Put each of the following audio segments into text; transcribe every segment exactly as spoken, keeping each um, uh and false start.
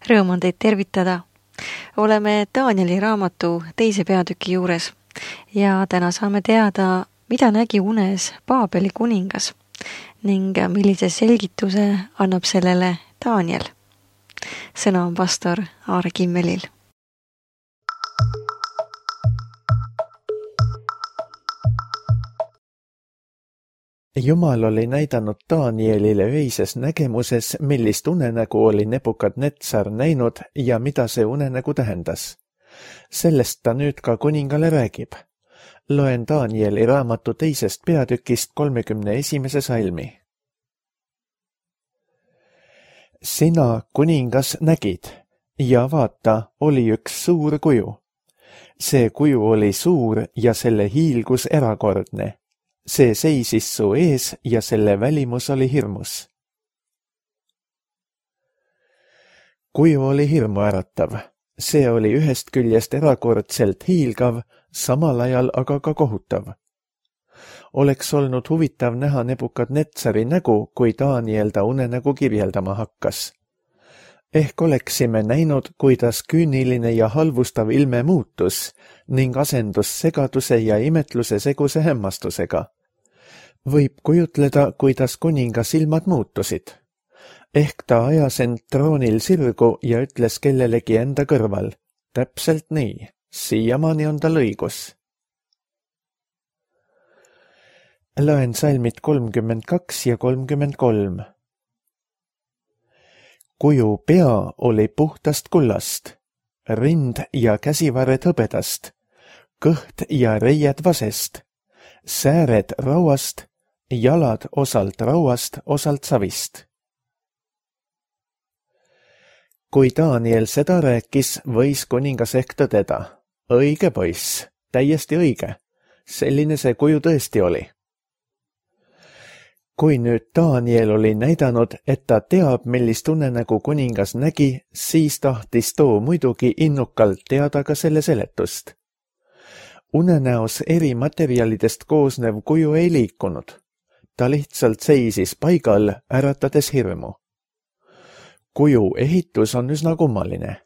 Rõõm on teid tervitada. Oleme Danieli raamatu teise peatüki juures ja täna saame teada, mida nägi unes Paabeli kuningas ning millise selgituse annab sellele Daniel. Sõna on pastor Aare Kimmelil. Jumal oli näidanud Danielile öises nägemuses, millist unenägu oli Nebukadnetsar näinud ja mida see unenägu tähendas. Sellest ta nüüd ka kuningale räägib. Loen Danieli raamatu teisest peatükist kolmekümne esimese salmi. Sina, kuningas, nägid ja vaata, oli üks suur kuju. See kuju oli suur ja selle hiilgus erakordne. See seisis su ees ja selle välimus oli hirmus. Kuju oli hirmuäratav. See oli ühest küljest erakordselt hiilgav, samal ajal aga ka kohutav. Oleks olnud huvitav näha Nebukadnetsari nägu, kui Daniel ta unenägu kirjeldama hakkas. Ehk oleksime näinud, kuidas küüniline ja halvustav ilme muutus ning asendus segaduse ja imetluse seguse hämmastusega. Võib kujutleda, kuidas kuninga silmad muutusid. Ehk ta ajas end troonil sirgu ja ütles kellelegi enda kõrval. Täpselt nii, siiamaani on tal õigus. Loen salmid kolmkümmend kaks ja kolmkümmend kolm. Kuju pea oli puhtast kullast, rind ja käsivarred hõbedast, kõht ja reied vasest, sääred rauast, jalad osalt rauast, osalt savist. Kui Daniel seda rääkis, võis kuningas ehk tõdeda. Õige poiss, täiesti õige. Selline see kuju tõesti oli. Kui nüüd Daniel oli näidanud, et ta teab, millist unenägu kuningas nägi, siis tahtis too muidugi innukalt teada ka selle seletust. Unenäos eri materjalidest koosnev kuju ei liikunud. Ta lihtsalt seisis paigal, äratades hirmu. Kuju ehitus on üsna kummaline.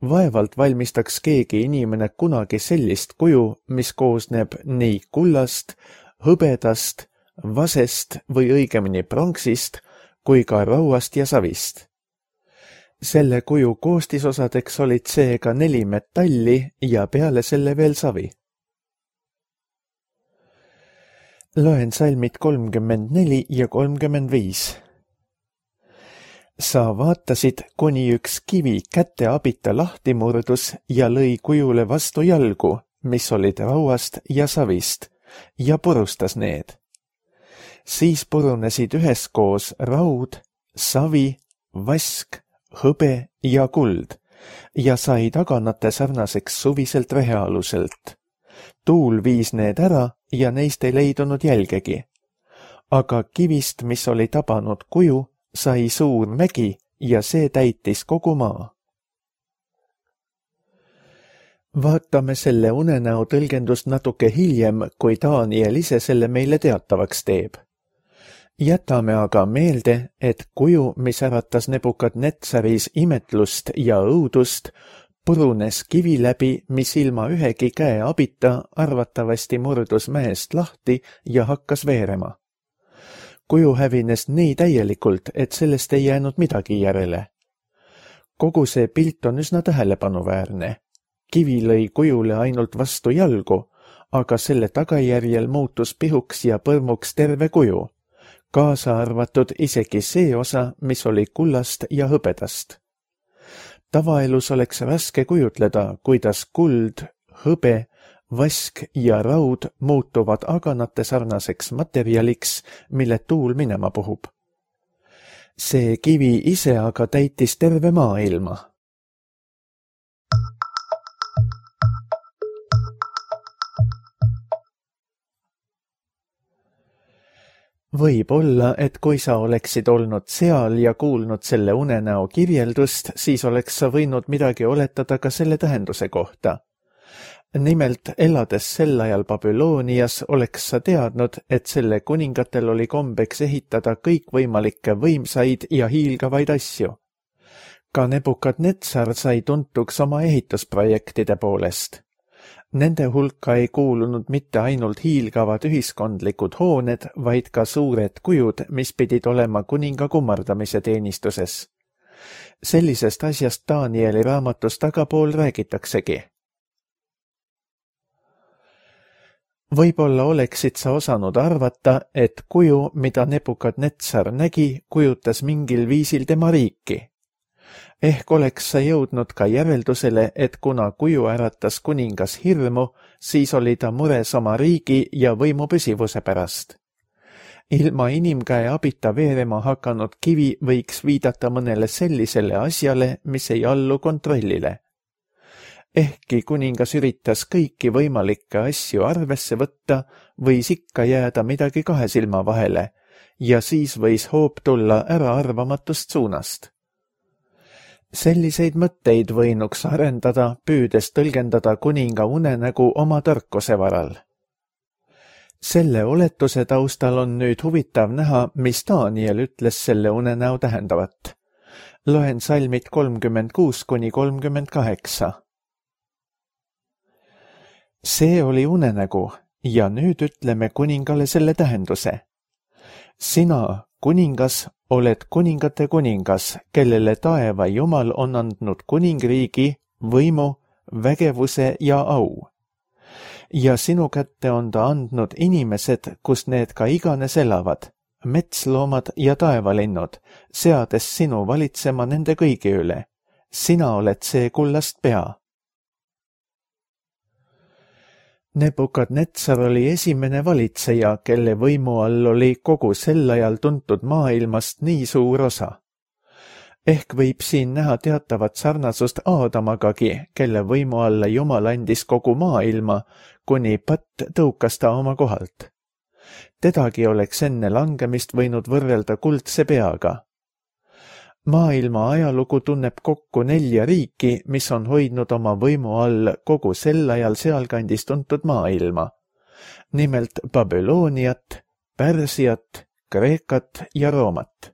Vaevalt valmistaks keegi inimene kunagi sellist kuju, mis koosneb nii kullast, hõbedast, vasest või õigemini pronksist, kui ka rauast ja savist. Selle kuju koostisosadeks olid seega neli metalli ja peale selle veel savi. Loen salmid kolmkümmend neli ja kolmkümmend viis. Sa vaatasid, kuni üks kivi käte abita lahti murdus ja lõi kujule vastu jalgu, mis olid rauast ja savist, ja purustas need. Siis purunesid üheskoos raud, savi, vask, hõbe ja kuld ja sai taganate sarnaseks suviselt rehealuselt. Tuul viis need ära ja neist ei leidunud jälgegi. Aga kivist, mis oli tabanud kuju, sai suur mägi ja see täitis kogu maa. Vaatame selle unenäo tõlgendust natuke hiljem, kui Daniel ise selle meile teatavaks teeb. Jätame aga meelde, et kuju, mis äratas Nebukadnetsaris imetlust ja õudust, purunes kivi läbi, mis ilma ühegi käe abita arvatavasti murdus mäest lahti ja hakkas veerema. Kuju hävines nii täielikult, et sellest ei jäänud midagi järele. Kogu see pilt on üsna tähelepanuväärne. Kivi lõi kujule ainult vastu jalgu, aga selle tagajärjel muutus pihuks ja põrmuks terve kuju, kaasa arvatud isegi see osa, mis oli kullast ja hõbedast. Tavaelus oleks raske kujutleda, kuidas kuld, hõbe, vask ja raud muutuvad aganate sarnaseks materjaliks, mille tuul minema puhub. See kivi ise aga täitis terve maailma. Võib olla, et kui sa oleksid olnud seal ja kuulnud selle unenäo kirjeldust, siis oleks sa võinud midagi oletada ka selle tähenduse kohta. Nimelt, elades sel ajal Babylonias, oleks sa teadnud, et selle kuningatel oli kombeks ehitada kõikvõimalikke võimsaid ja hiilgavaid asju. Ka Nebukadnetsar sai tuntuks oma ehitusprojektide poolest. Nende hulka ei kuulunud mitte ainult hiilgavad ühiskondlikud hooned, vaid ka suured kujud, mis pidid olema kuninga kummardamise teenistuses. Sellisest asjast Danieli raamatus tagapool räägitaksegi. Võib-olla oleksid sa osanud arvata, et kuju, mida Nebukadnetsar nägi, kujutas mingil viisil tema riiki. Ehk oleks sa jõudnud ka järeldusele, et kuna kuju äratas kuningas hirmu, siis oli ta mures oma riigi ja võimu püsivuse pärast. Ilma inimkäe abita veerema hakanud kivi võiks viidata mõnele sellisele asjale, mis ei allu kontrollile. Ehkki kuningas üritas kõiki võimalikke asju arvesse võtta, võis ikka jääda midagi kahe silma vahele ja siis võis hoop tulla äraarvamatust suunast. Selliseid mõtteid võinuks arendada, püüdes tõlgendada kuninga unenägu oma tarkuse varal. Selle oletuse taustal on nüüd huvitav näha, mis Daniel ütles selle unenäo tähendavat. Loen salmid kolmkümmend kuus kuni kolmkümmend kaheksa. See oli unenägu ja nüüd ütleme kuningale selle tähenduse. Sina, kuningas, oled kuningate kuningas, kellele taeva Jumal on andnud kuningriigi, võimu, vägevuse ja au. Ja sinu kätte on ta andnud inimesed, kus need ka iganes elavad, metsloomad ja taevalinnud, seades sinu valitsema nende kõigi üle. Sina oled see kullast pea. Nebukadnetsar oli esimene valitseja, kelle võimu all oli kogu sel ajal tuntud maailmast nii suur osa. Ehk võib siin näha teatavat sarnasust Aadamagagi, kelle võimu alla Jumal andis kogu maailma, kuni patt tõukas ta oma kohalt. Tedagi oleks enne langemist võinud võrrelda kuldse peaga. Maailma ajalugu tunneb kokku nelja riiki, mis on hoidnud oma võimu all kogu sel ajal sealkandis tuntud maailma. Nimelt Babyloniat, Pärsiat, Kreekat ja Roomat.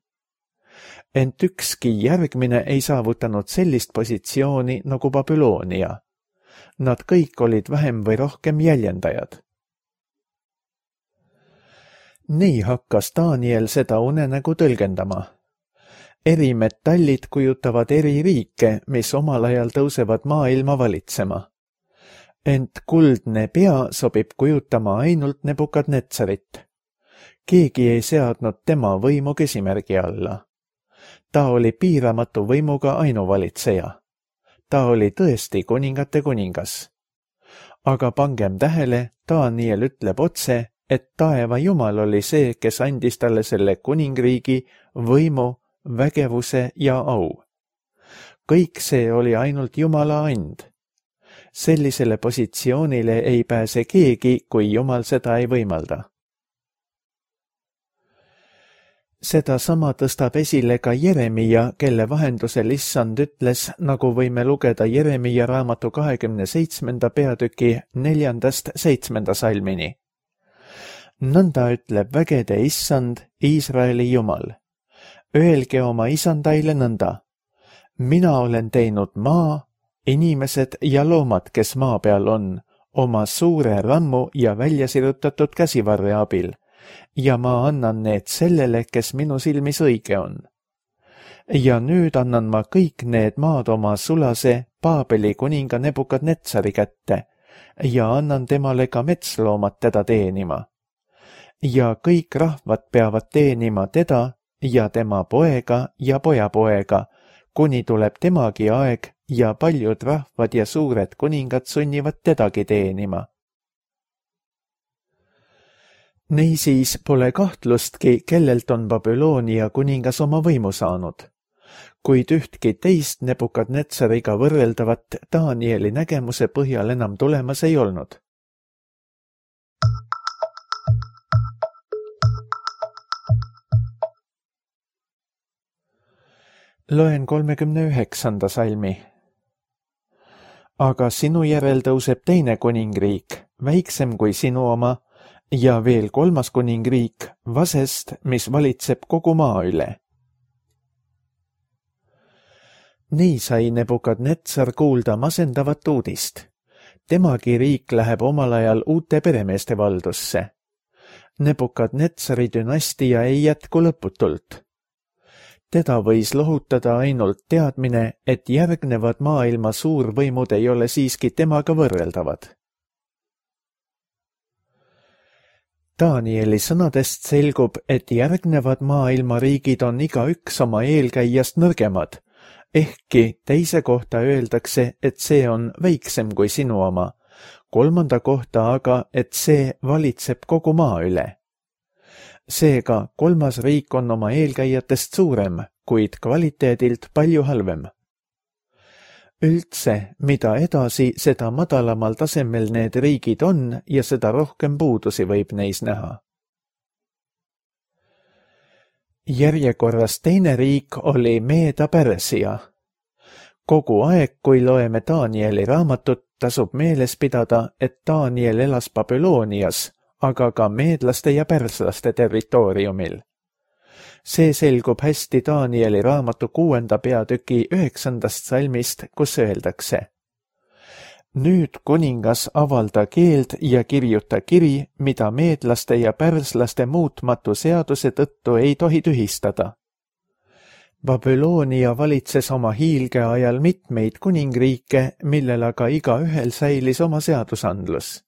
Ent ükski järgmine ei saavutanud sellist positsiooni nagu Babylonia. Nad kõik olid vähem või rohkem jäljendajad. Nii hakkas Daniel seda unenägu tõlgendama. Eri metallid kujutavad eri riike, mis omal ajal tõusevad maailma valitsema. Ent kuldne pea sobib kujutama ainult Nebukadnetsarit. Keegi ei seadnud tema võimu küsimärgi alla. Ta oli piiramatu võimuga ainuvalitseja. Ta oli tõesti kuningate kuningas. Aga pangem tähele, Daniel ütleb otse, et taeva Jumal oli see, kes andis talle selle kuningriigi, võimu, vägevuse ja au. Kõik see oli ainult Jumala and. Sellisele positsioonile ei pääse keegi, kui Jumal seda ei võimalda. Seda sama tõstab esile ka Jeremia, kelle vahendusel Issand ütles, nagu võime lugeda Jeremia raamatu kahekümne seitsmenda peatüki neljandast seitsmenda salmini. Nõnda ütleb vägede Issand, Iisraeli Jumal. Öelge oma isandaile nõnda. Mina olen teinud maa, inimesed ja loomad, kes maa peal on, oma suure rammu ja väljasirutatud käsivarre abil, ja ma annan need sellele, kes minu silmis õige on. Ja nüüd annan ma kõik need maad oma sulase Paabeli kuninga Nebukadnetsari kätte ja annan temale ka metsloomad teda teenima. Ja kõik rahvad peavad teenima teda ja tema poega ja pojapoega, kuni tuleb temagi aeg ja paljud rahvad ja suured kuningad sunnivad tedagi teenima. Niisiis pole kahtlustki, kellelt on Babylonia kuningas oma võimu saanud, kuid ühtki teist Nebukadnetsariga võrreldavat Danieli nägemuse põhjal enam tulemas ei olnud. Loen kolmekümne üheksanda salmi. Aga sinu järel tõuseb teine kuningriik, väiksem kui sinu oma, ja veel kolmas kuningriik, vasest, mis valitseb kogu maa üle. Nii sai Nebukadnetsar kuulda masendavat uudist. Temagi riik läheb omal ajal uute peremeeste valdusse. Nebukadnetsari dünastia ei jätku lõputult. Teda võis lohutada ainult teadmine, et järgnevad maailma suurvõimud ei ole siiski temaga võrreldavad. Danieli sõnadest selgub, et järgnevad maailma riigid on igaüks oma eelkäijast nõrgemad, ehkki teise kohta öeldakse, et see on väiksem kui sinu oma, kolmanda kohta aga, et see valitseb kogu maa üle. Seega kolmas riik on oma eelkäijatest suurem, kuid kvaliteedilt palju halvem. Üldse, mida edasi, seda madalamal tasemel need riigid on ja seda rohkem puudusi võib neis näha. Järjekorras teine riik oli Meeda-Pärsia. Kogu aeg, kui loeme Danieli raamatut, tasub meeles pidada, et Daniel elas Babylonias, aga ka meedlaste ja pärslaste territooriumil. See selgub hästi Danieli raamatu kuuenda peatüki üheksandast salmist, kus öeldakse: Nüüd kuningas avalda keeld ja kirjuta kiri, mida meedlaste ja pärslaste muutmatu seaduse tõttu ei tohi tühistada. Babylonia valitses oma hiilge ajal mitmeid kuningriike, millel aga igaühel säilis oma seadusandlus.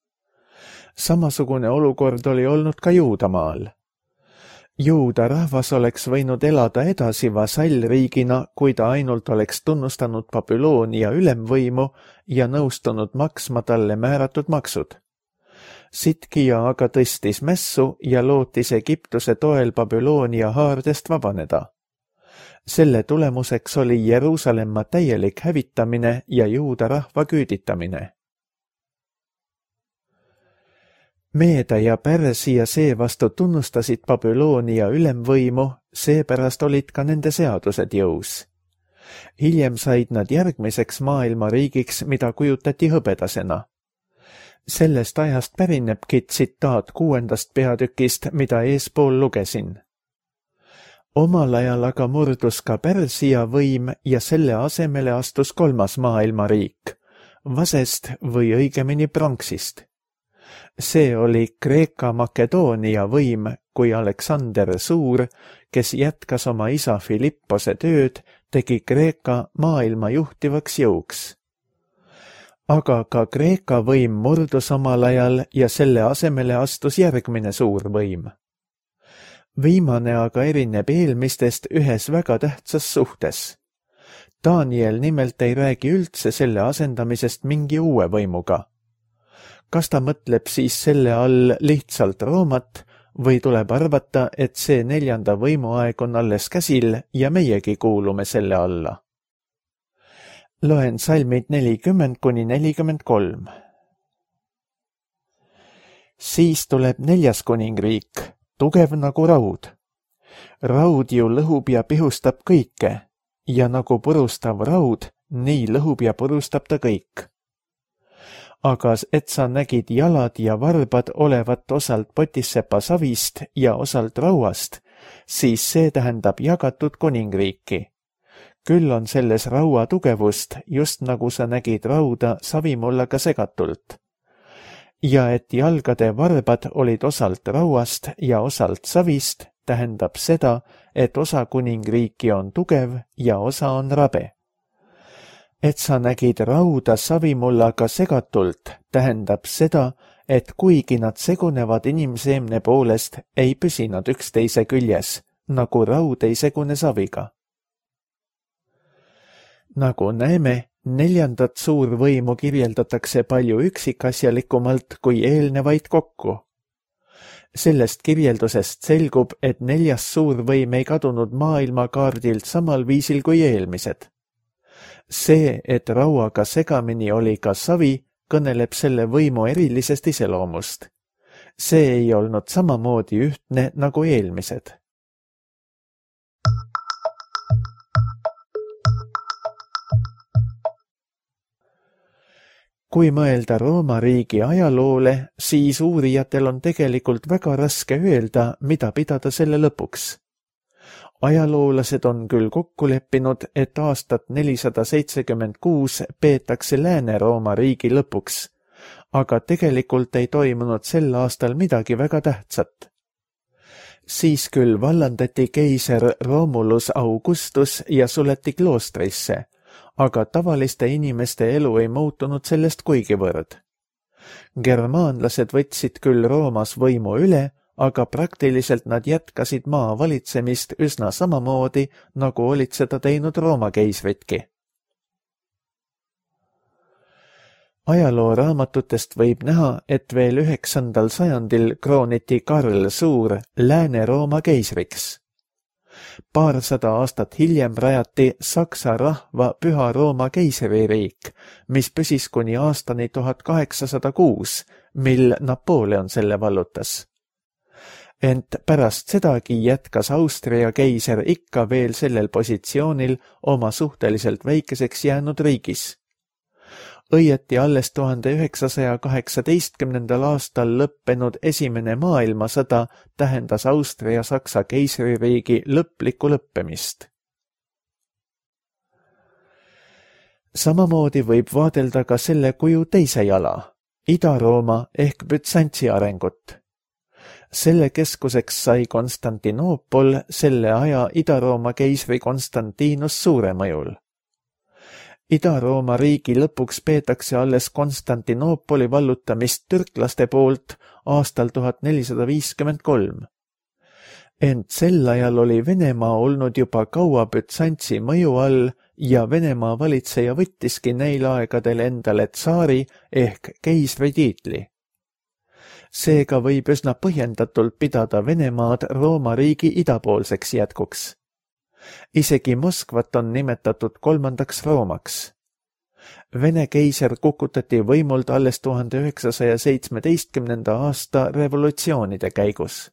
Samasugune olukord oli olnud ka Juudamaal. Juuda rahvas oleks võinud elada edasi vasallriigina, kui ta ainult oleks tunnustanud Babyloonia ülemvõimu ja nõustunud maksma talle määratud maksud. Sitkija aga tõstis mässu ja lootis Egiptuse toel Babyloonia haardest vabaneda. Selle tulemuseks oli Jeruusalemma täielik hävitamine ja Juuda rahva küüditamine. Meeda ja Pärsia seevastu tunnustasid Babyloonia ülemvõimu, seepärast olid ka nende seadused jõus. Hiljem said nad järgmiseks maailmariigiks, mida kujutati hõbedasena. Sellest ajast pärinebki tsitaat kuuendast peatükist, mida eespool lugesin. Omal ajal aga murdus ka Pärsia võim ja selle asemele astus kolmas maailmariik, vasest või õigemini pronksist. See oli Kreeka-Makedoonia võim, kui Aleksander Suur, kes jätkas oma isa Filippose tööd, tegi Kreeka maailma juhtivaks jõuks. Aga ka Kreeka võim murdus omal ajal ja selle asemele astus järgmine suur võim. Viimane aga erineb eelmistest ühes väga tähtsas suhtes. Daniel nimelt ei räägi üldse selle asendamisest mingi uue võimuga. Kas ta mõtleb siis selle all lihtsalt Roomat või tuleb arvata, et see neljanda võimuaeg on alles käsil ja meiegi kuulume selle alla? Loen salmid nelikümmend kuni nelikümmend kolm. Siis tuleb neljas kuningriik, tugev nagu raud. Raud ju lõhub ja pihustab kõike ja nagu purustav raud, nii lõhub ja purustab ta kõik. Aga et sa nägid jalad ja varbad olevat osalt potissepa savist ja osalt rauast, siis see tähendab jagatud kuningriiki. Küll on selles raua tugevust, just nagu sa nägid rauda savimullaga segatult. Ja et jalgade varbad olid osalt rauast ja osalt savist, tähendab seda, et osa kuningriiki on tugev ja osa on rabe. Et sa nägid rauda savimullaga segatult, tähendab seda, et kuigi nad segunevad inimseemne poolest, ei püsi nad üksteise küljes, nagu raud ei segune saviga. Nagu näeme, neljandat suurvõimu kirjeldatakse palju üksikasjalikumalt kui eelnevaid kokku. Sellest kirjeldusest selgub, et neljas suurvõim ei kadunud maailmakaardilt samal viisil kui eelmised. See, et rauaga segamini oli ka savi, kõneleb selle võimu erilisest iseloomust. See ei olnud samamoodi ühtne nagu eelmised. Kui mõelda Rooma riigi ajaloole, siis uurijatel on tegelikult väga raske öelda, mida pidada selle lõpuks. ajaloolased on küll kokku leppinud, et aastat nelisada seitsekümmend kuus peetakse Lääne-Rooma riigi lõpuks, aga tegelikult ei toimunud sel aastal midagi väga tähtsat. Siis küll vallandati keiser Romulus Augustus ja suleti kloostrisse, aga tavaliste inimeste elu ei muutunud sellest kuigivõrd. Germaanlased võtsid küll Roomas võimu üle, aga praktiliselt nad jätkasid maa valitsemist üsna samamoodi, nagu olid seda teinud Rooma keisritki. Ajalooraamatutest võib näha, et veel üheksandal sajandil krooniti Karl Suur Lääne-Rooma keisriks. Paarsada aastat hiljem rajati Saksa rahva Püha Rooma keisririik, mis püsis kuni aastani tuhat kaheksasada kuus, mil Napoleon selle vallutas. Ent pärast sedagi jätkas Austria keiser ikka veel sellel positsioonil oma suhteliselt väikeseks jäänud riigis. Õieti alles tuhande üheksasaja kaheksateistkümnendal aastal lõppenud esimene maailmasõda tähendas Austria-Saksa keisririigi lõplikku lõppemist. Samamoodi võib vaadelda ka selle kuju teise jala, Ida-Rooma ehk Bütsantsi arengut. Selle keskuseks sai Konstantinoopol selle aja Ida-Rooma keisri Konstantinus Suure mõjul. Ida-Rooma riigi lõpuks peetakse alles Konstantinoopoli vallutamist türklaste poolt aastal tuhat nelisada viiskümmend kolm. Ent sel ajal oli Venemaa olnud juba kaua Bütsantsi mõju all ja Venemaa valitseja võttiski neil aegadel endale tsaari ehk keisri tiitli. Seega võib üsna põhjendatult pidada Venemaad Rooma riigi idapoolseks jätkuks. Isegi Moskvat on nimetatud kolmandaks Roomaks. Vene keiser kukutati võimult alles tuhande üheksasaja seitsmeteistkümnenda aasta revolutsioonide käigus.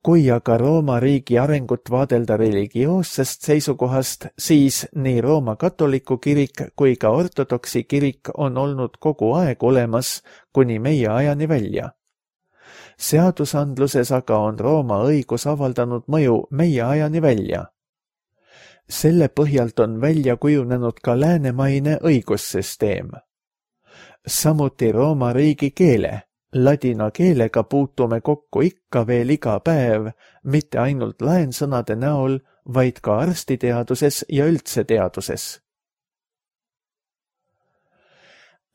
Kui aga Rooma riigi arengut vaadelda religioossest seisukohast, siis nii Rooma katoliku kirik kui ka ortodoksi kirik on olnud kogu aeg olemas kuni meie ajani välja. Seadusandluses aga on Rooma õigus avaldanud mõju meie ajani välja. Selle põhjalt on välja kujunenud ka läänemaine õigussüsteem. Samuti Rooma riigi keele. Ladina keelega puutume kokku ikka veel iga päev, mitte ainult laensõnade näol, vaid ka arstiteaduses ja üldse teaduses.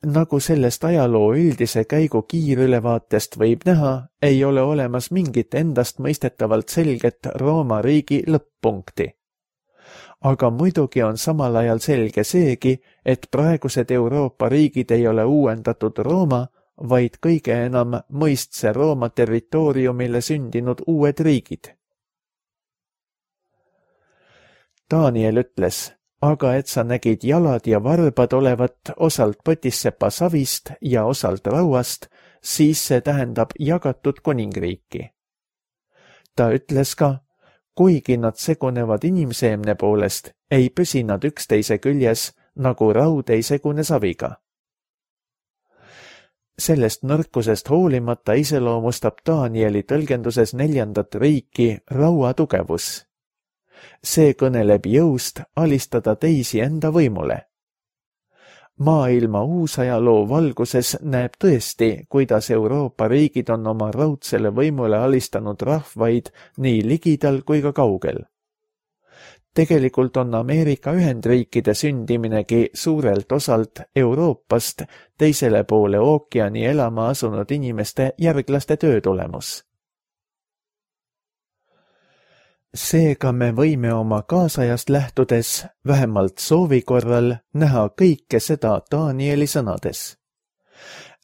Nagu sellest ajaloo üldise käigu kiirülevaatest võib näha, ei ole olemas mingit endast mõistetavalt selget Rooma riigi lõpp-punkti. Aga muidugi on samal ajal selge seegi, et praegused Euroopa riigid ei ole uuendatud Rooma, vaid kõige enam mõistse Rooma territooriumile sündinud uued riigid. Daniel ütles, aga et sa nägid jalad ja varbad olevat osalt põtissepa savist ja osalt rauast, siis see tähendab jagatud kuningriiki. Ta ütles ka, kuigi nad segunevad inimseemne poolest, ei püsi nad üksteise küljes, nagu raud ei segune saviga. Sellest nõrkusest hoolimata iseloomustab Danieli tõlgenduses neljandat riiki raua tugevus. See kõneleb jõust alistada teisi enda võimule. Maailma uusajaloo valguses näeb tõesti, kuidas Euroopa riigid on oma raudsele võimule alistanud rahvaid nii ligidal kui ka kaugel. Tegelikult on Ameerika Ühendriikide sündiminegi suurelt osalt Euroopast teisele poole ookeani elama asunud inimeste järglaste töö tulemus. Seega me võime oma kaasajast lähtudes, vähemalt soovi korral, näha kõike seda Danieli sõnades.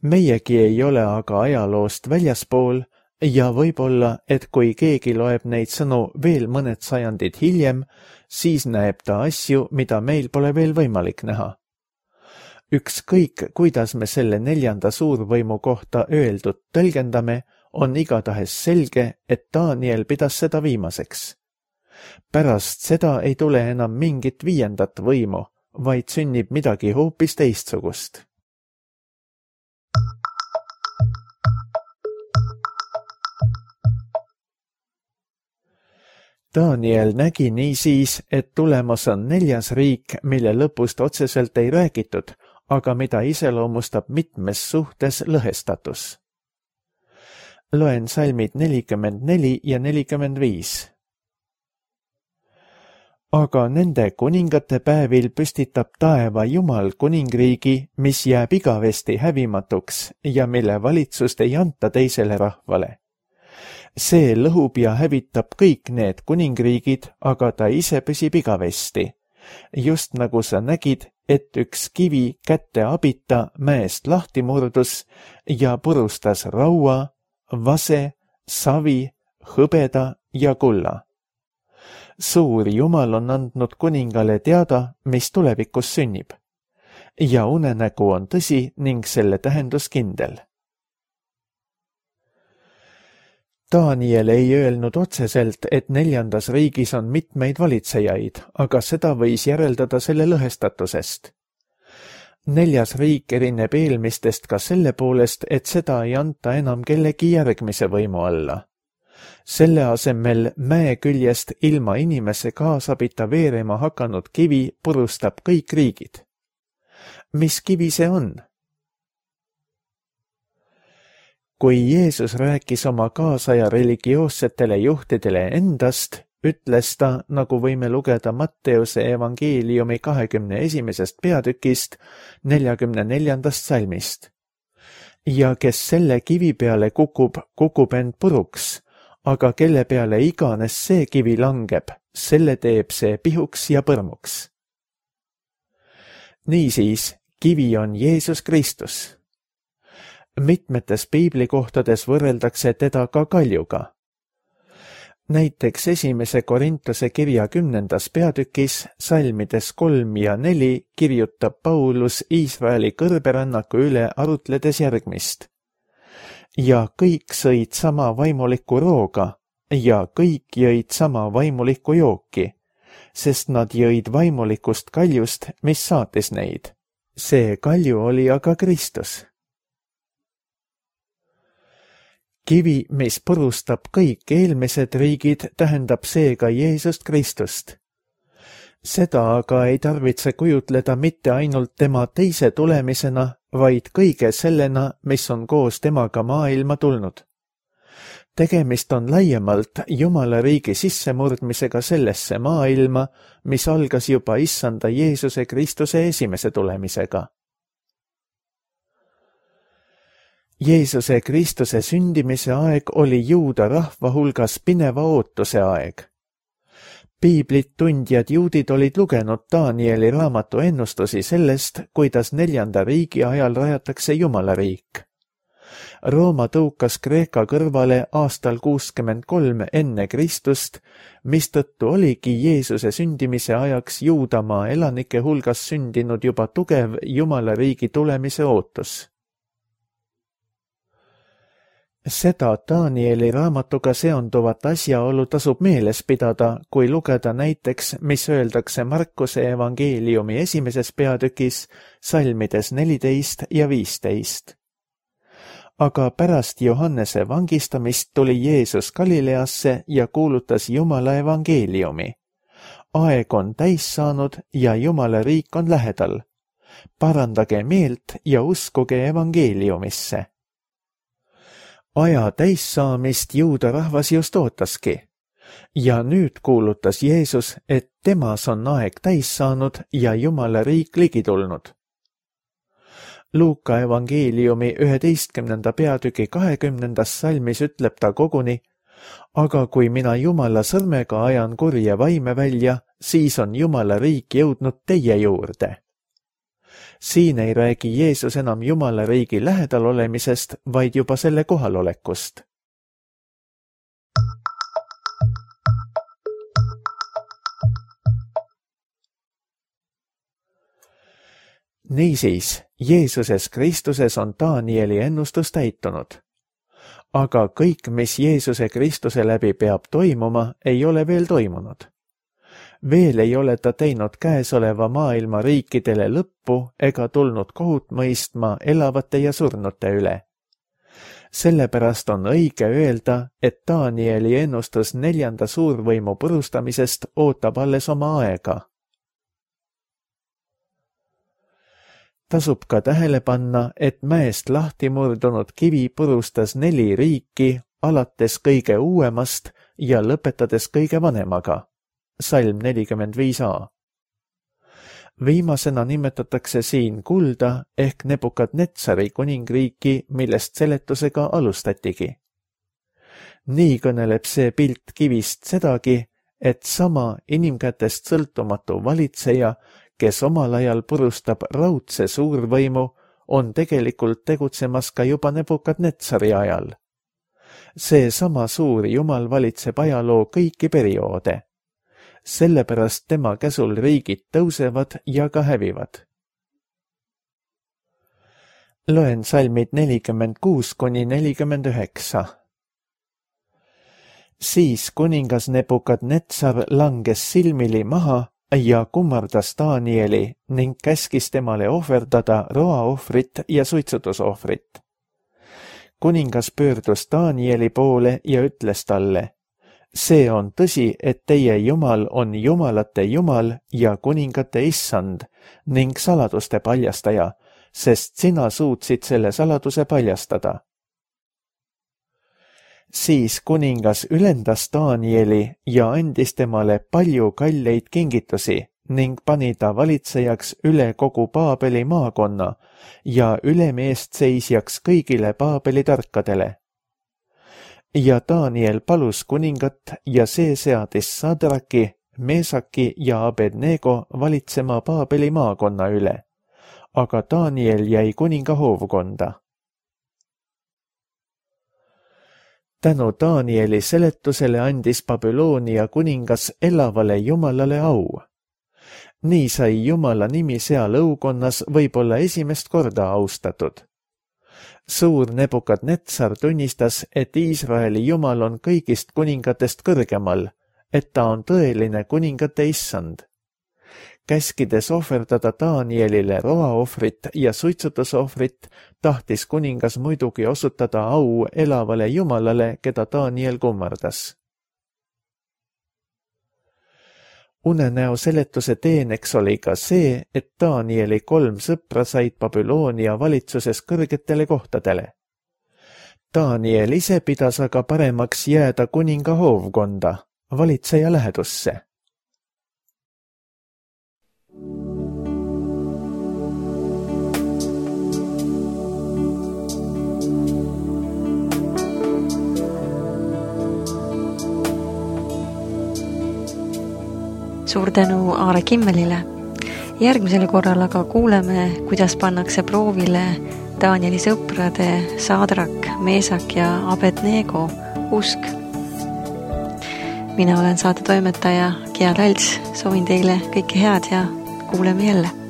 Meiegi ei ole aga ajaloost väljaspool ja võib-olla, et kui keegi loeb neid sõnu veel mõned sajandid hiljem, siis näeb ta asju, mida meil pole veel võimalik näha. Ükskõik, kuidas me selle neljanda suurvõimu kohta öeldud tõlgendame, on igatahes selge, et Daniel pidas seda viimaseks. Pärast seda ei tule enam mingit viiendat võimu, vaid sünnib midagi hoopis teistsugust. Daniel nägi niisiis, et tulemas on neljas riik, mille lõpust otseselt ei räägitud, aga mida iseloomustab mitmes suhtes lõhestatus. Loen salmid nelikümmend neli ja nelikümmend viis. Aga nende kuningate päevil püstitab taeva Jumal kuningriigi, mis jääb igavesti hävimatuks ja mille valitsust ei anta teisele rahvale. See lõhub ja hävitab kõik need kuningriigid, aga ta ise püsib igavesti. Just nagu sa nägid, et üks kivi kätte abita mäest lahti murdus ja purustas raua, vase, savi, hõbeda ja kulla. Suur Jumal on andnud kuningale teada, mis tulevikus sünnib. Ja unenägu on tõsi ning selle tähendus kindel. Daniel ei öelnud otseselt, et neljandas riigis on mitmeid valitsejaid, aga seda võis järeldada selle lõhestatusest. Neljas riik erineb eelmistest ka selle poolest, et seda ei anta enam kellegi järgmise võimu alla. Selle asemel mäe küljest ilma inimese kaasabita veerema hakanud kivi purustab kõik riigid. Mis kivi see on? Kui Jeesus rääkis oma kaasaja religioossetele juhtidele endast, ütles ta, nagu võime lugeda Matteuse evangeeliumi kahekümne esimesest peatükist neljakümne neljandast salmist. Ja kes selle kivi peale kukub, kukub end puruks, aga kelle peale iganes see kivi langeb, selle teeb see pihuks ja põrmuks. Niisiis, kivi on Jeesus Kristus. Mitmetes piiblikohtades võrreldakse teda ka kaljuga. Näiteks esimese Korintuse kirja kümnendas peatükis, salmides kolm ja neli, kirjutab Paulus Iisraeli kõrberännaku üle arutledes järgmist. Ja kõik sõid sama vaimulikku rooga ja kõik jõid sama vaimulikku jooki, sest nad jõid vaimulikust kaljust, mis saatis neid. See kalju oli aga Kristus. Kivi, mis purustab kõik eelmised riigid, tähendab seega Jeesust Kristust. Seda aga ei tarvitse kujutleda mitte ainult tema teise tulemisena, vaid kõige sellena, mis on koos temaga maailma tulnud. Tegemist on laiemalt Jumala riigi sissemurdmisega sellesse maailma, mis algas juba issanda Jeesuse Kristuse esimese tulemisega. Jeesuse Kristuse sündimise aeg oli juuda rahva hulgas pineva ootuse aeg. Piiblit tundjad juudid olid lugenud Danieli raamatu ennustusi sellest, kuidas neljanda riigi ajal rajatakse Jumala riik. Rooma tõukas Kreeka kõrvale aastal kuuskümmend kolm enne Kristust, mistõttu oligi Jeesuse sündimise ajaks Juudamaa elanike hulgas sündinud juba tugev Jumala riigi tulemise ootus. Seda Danieli raamatuga seonduvat asjaolu tasub meeles pidada, kui lugeda näiteks, mis öeldakse Markuse evangeeliumi esimeses peatükis, salmides neliteist ja viisteist. Aga pärast Johannese vangistamist tuli Jeesus Galileasse ja kuulutas Jumala evangeeliumi. Aeg on täis saanud ja Jumala riik on lähedal. Parandage meelt ja uskuge evangeeliumisse. Aja täissaamist juuda rahvas just ootaski. Ja nüüd kuulutas Jeesus, et temas on aeg täis saanud ja Jumala riik ligi tulnud. Luuka evangeeliumi üheteistkümnenda peatüki kahekümnendas salmis ütleb ta koguni, aga kui mina Jumala sõrmega ajan kurje vaime välja, siis on Jumala riik jõudnud teie juurde. Siin ei räägi Jeesus enam Jumala riigi lähedal olemisest, vaid juba selle kohalolekust. Niisiis, Jeesuses Kristuses on Danieli ennustus täitunud. Aga kõik, mis Jeesuse Kristuse läbi peab toimuma, ei ole veel toimunud. Veel ei ole ta teinud käesoleva maailma riikidele lõppu ega tulnud kohut mõistma elavate ja surnute üle. Sellepärast on õige öelda, et Danieli ennustus neljanda suurvõimu purustamisest ootab alles oma aega. Tasub ka tähele panna, et mäest lahti murdunud kivi purustas neli riiki, alates kõige uuemast ja lõpetades kõige vanemaga. Salm nelikümmend viis a. Viimasena nimetatakse siin kulda ehk Nebukadnetsari kuningriiki, millest seletusega alustatigi. Nii kõneleb see pilt kivist sedagi, et sama inimkätest sõltumatu valitseja, kes omal ajal purustab raudse suurvõimu, on tegelikult tegutsemas ka juba Nebukadnetsari ajal. See sama suur jumal valitseb ajaloo kõiki perioode. Sellepärast tema käsul riigid tõusevad ja ka hävivad. Loen salmid nelikümmend kuus kuni nelikümmend üheksa. Siis kuningas Nebukadnetsar langes silmili maha ja kummardas Danieli ning käskis temale ohverdada roaohvrit ja suitsutusohvrit. Kuningas pöördus Danieli poole ja ütles talle: see on tõsi, et teie Jumal on jumalate Jumal ja kuningate issand ning saladuste paljastaja, sest sina suutsid selle saladuse paljastada. Siis kuningas ülendas Danieli ja andis temale palju kalleid kingitusi ning pani ta valitsejaks üle kogu Paabeli maakonna ja ülemeestseisjaks kõigile Paabeli tarkadele. Ja Daniel palus kuningat ja see seadis Sadraki, Mesaki ja Abednego valitsema Paabeli maakonna üle, aga Daniel jäi kuninga hoovkonda. Tänu Danieli seletusele andis Babyloonia kuningas elavale Jumalale au. Nii sai Jumala nimi seal õukonnas võib-olla esimest korda austatud. Suur Nebukadnetsar tunnistas, et Iisraeli Jumal on kõigist kuningatest kõrgemal, et ta on tõeline kuningate issand. Käskides ohverdada Danielile roaohvrit ja suitsutusohvrit, tahtis kuningas muidugi osutada au elavale Jumalale, keda Daniel kummardas. Unenäo seletuse teeneks oli ka see, et Danieli kolm sõpra said Babyloonia valitsuses kõrgetele kohtadele. Daniel ise pidas aga paremaks jääda kuninga hoovkonda, valitseja lähedusse. Suur tänu Aare Kimmelile. Järgmisel korral aga kuuleme, kuidas pannakse proovile Danieli sõprade Sadrak, Mesak ja Abednego usk. Mina olen saate toimetaja Gia Lals, soovin teile kõike head ja kuuleme jälle.